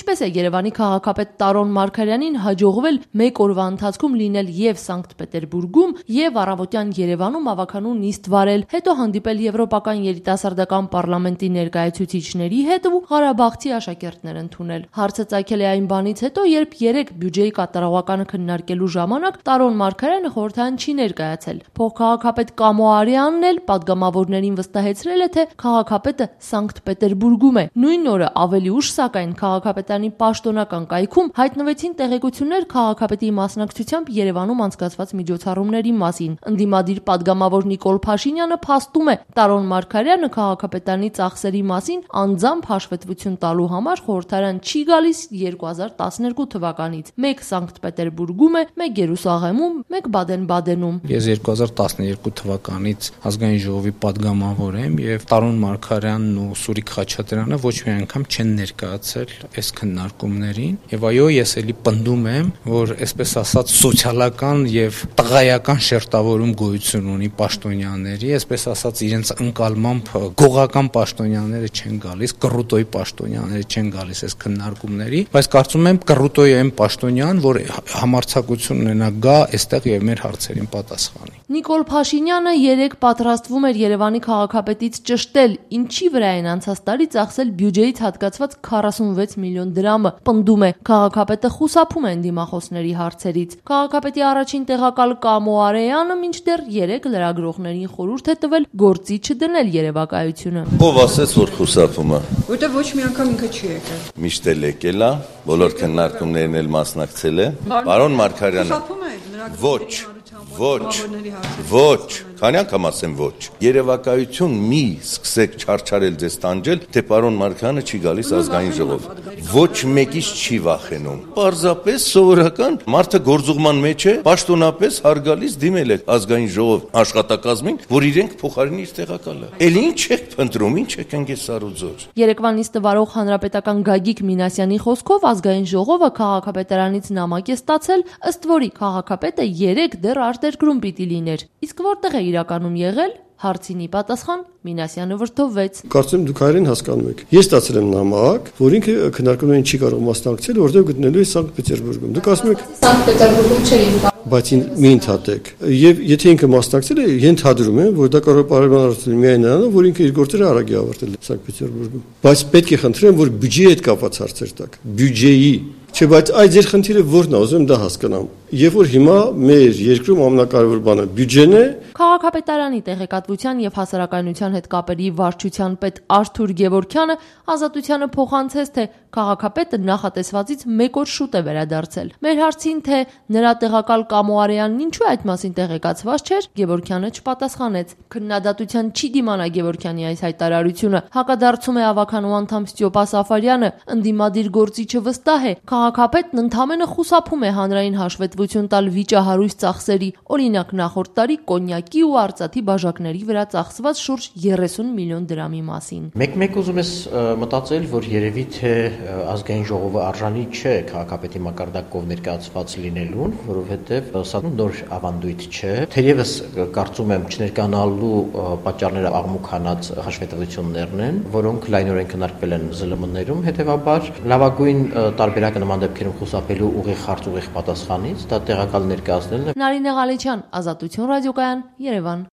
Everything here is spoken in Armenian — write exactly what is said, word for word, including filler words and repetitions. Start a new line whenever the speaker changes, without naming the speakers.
Ինչպես է Երևանի քաղաքապետ Տարոն Մարգարյանին հաջողվել մեկ օրվա ընթացքում լինել եւ Սանկտ Պետերբուրգում եւ առավոտյան Երևանում ավականու նիստ վարել, հետո հանդիպել եվրոպական երիտասարդական պարլամենտի ներկայացուցիչների հետ ու Ղարաբաղցի աշակերտներ ընդունել։ Հարցը ծագել է այն բանից հետո, երբ երեք բյուջեի կատարողականը քննարկելու ժամանակ Տարոն Մարգարյանը խորհրդարան չի ներկայացել։ Փոխքաղաքապետ Կամո Արյանն էլ պատգամավորներին վստահեցրել է, թե քաղաքապետը Սանկտ Պետերբուրգում է։ Նույն օրը ավելի ուշ, սակայն, քաղաքապետարանի պաշտոնական կայքում հայտնվեցին տեղեկություններ քաղաքապետի մասնակցությամբ Երևանում անցկացված միջոցառումների մասին։ Ընդդիմադիր պատգամավոր Նիկոլ Փաշինյանը փաստում է, Տարոն Մարգարյանը քաղաքապետարանի ծախսերի մասին անձամբ հաշվետվություն տալու համար խորհրդարան չի գալիս երկու հազար տասներկու թվականից։ Մեկ Սանկտ Պետերբուրգում է, մեկ Երուսաղեմում, մեկ Բադեն-Բադենում։
Ես երկու հազար տասներկու թվականից ազգային ժողովի պատգամավոր եմ եւ Տարոն Մարգարյանն ու Սուրիկ Խաչատրյանը ոչ մի անգամ չեն ներկայացել այս քննարկումներին եւ այո ես էլի պնդում եմ, որ այսպես ասած սոցիալական եւ տղայական շերտավորում գոյություն ունի պաշտոնյաների, այսպես ասած իրենց ընկալմամբ գողական պաշտոնյաները չեն գալիս, կռուտոյի պաշտոնյաները չեն գալիս այս քննարկումների, բայց կարծում եմ կռուտոյի այն պաշտոնյան, որ համարձակություն ունենա գա այստեղ եւ մեր հարցերին պատասխանի։
Նիկոլ Փաշինյանը երեք պատրաստվում էր Երևանի քաղաքապետից ճշտել, ինչի վրա են անցած տարի ծախսել բյուջեից հատկացված քառասունվեց միլիոն դրամը։ Պնդում է, քաղաքապետը խուսափում է դիմախոսների հարցերից։ Քաղաքապետի առաջին տեղակալ Կամո Արեանը մինչդեռ երեք լրագրողներին խորհուրդ է տվել գործի չդնել երևակայությունը։
Ով ասեց, որ խուսափում է։
Որտեղ ոչ մի անգամ ինքը չի եկել։
Միշտ էլ եկել է, բոլոր քննարկումներն էլ մասնակցել է։ Պարոն Մարգարյանը։ Ոչ, ոչ, ոչ, քանի անգամ ասեմ ոչ։ Երևակայություն մի սկսեք չարչարել ձեզ տանջել, թե պարոն Մարգարյանը չի գալիս ազգային ժողով։ Ոչ մեկից չի վախենում։ Պարզապես սովորական մարդը գործուղման մեջ է, պաշտոնապես հարգալից դիմել է ազգային ժողով աշխատակազմին, որ իրենք փոխարինի իր տեղակալը։ Էլ ինչ եք փնտրում, ինչ եք ընկել սարուձոր։
Երեկվա նիստը վարող հանրապետական Գագիկ Մինասյանի խոսքով ազգային ժողովը քաղաքապետարանից նամակ է ստացել, ըստ որի քաղաքապետը երեք դեռ արտերկրում պիտի լիներ։ Իսկ որտեղ է իրականում եղել։ Հարցինի պատասխան Մինասյանը վրդովվեց։
Կարծում եմ դուք հայերեն հասկանում եք։ Ես ստացել եմ նամակ, որ ինքը քննարկումներին չի կարող մասնակցել, որտեղ գտնելու է Սանկտ Պետերբուրգում։ Դուք ասում եք
Սանկտ Պետերբուրգում չէի։
Բայց մի ընդհատեք։ Եվ եթե ինքը մասնակցել է, ենթադրում եմ, որ դա կարող է պարբերաբար միայն նրանով, որ ինքը իր գործերը արագ է ավարտել Սանկտ Պետերբուրգում։ Բայց պետք է խնդրեմ, որ բյուջեի հետ կապված հարցեր տաք։ Բյուջեի Չէ, բայց այդ ձեր խնդիրը ո՞րն է, ուզում եմ դա հասկանամ։ Եվ որ հիմա մեր երկրում ամենակարևոր բանը բյուջեն է։
Քաղաքապետարանի տեղեկատվության եւ հասարակայնության հետ կապերի վարչության պետ Արթուր Գևորգյանը ազատությանը փոխանցեց, թե քաղաքապետը նախատեսվածից մեկ օր շուտ է վերադարձել։ Մեր հարցին, թե նրա տեղակալ Կամո Արեյանն ինչու այդ մասին տեղեկացված չէր, Գևորգյանը չպատասխանեց։ Քննադատության չի դիմանա Գևորգյանի այս հայտարարությունը։ Հակադարձում է ավականու անդամ Ստյոպա Սաֆարյանը, ընդդիմադիր գործիչը վստահ է, քաղաքապետն ընդամենը խուսափում է հանրային հաշվետվություն տալ վիճահարույց ծախսերի, օրինակ նախորդ տարի կոնյակի ու արծաթի բաժակների վրա ծախսված շուրջ երեսուն միլիոն դրամի մասին։
Մեկ-մեկ ուզում ես մտածել, որ երևի թե ազգային ժողովը արժանի չէ քաղաքապետի մակարդակով ներկայացված լինելուն, որովհետև սա նոր ավանդույթ չէ։ Թերևս կարծում եմ չներկանալու պատճառները աղմուկանած հաշվետվություններն են, որոնք լայնորեն քննարկվել են զլմ-ներում, հետևաբար լավագույն տարբերակը նման դեպքերում խուսափելու ուղիղ հարց ուղիղ պատասխանից դա տեղակալ ներկայացնելն է։
Նարինե Ղալեչյան, Ազատություն ռադիոկայան, Երևան։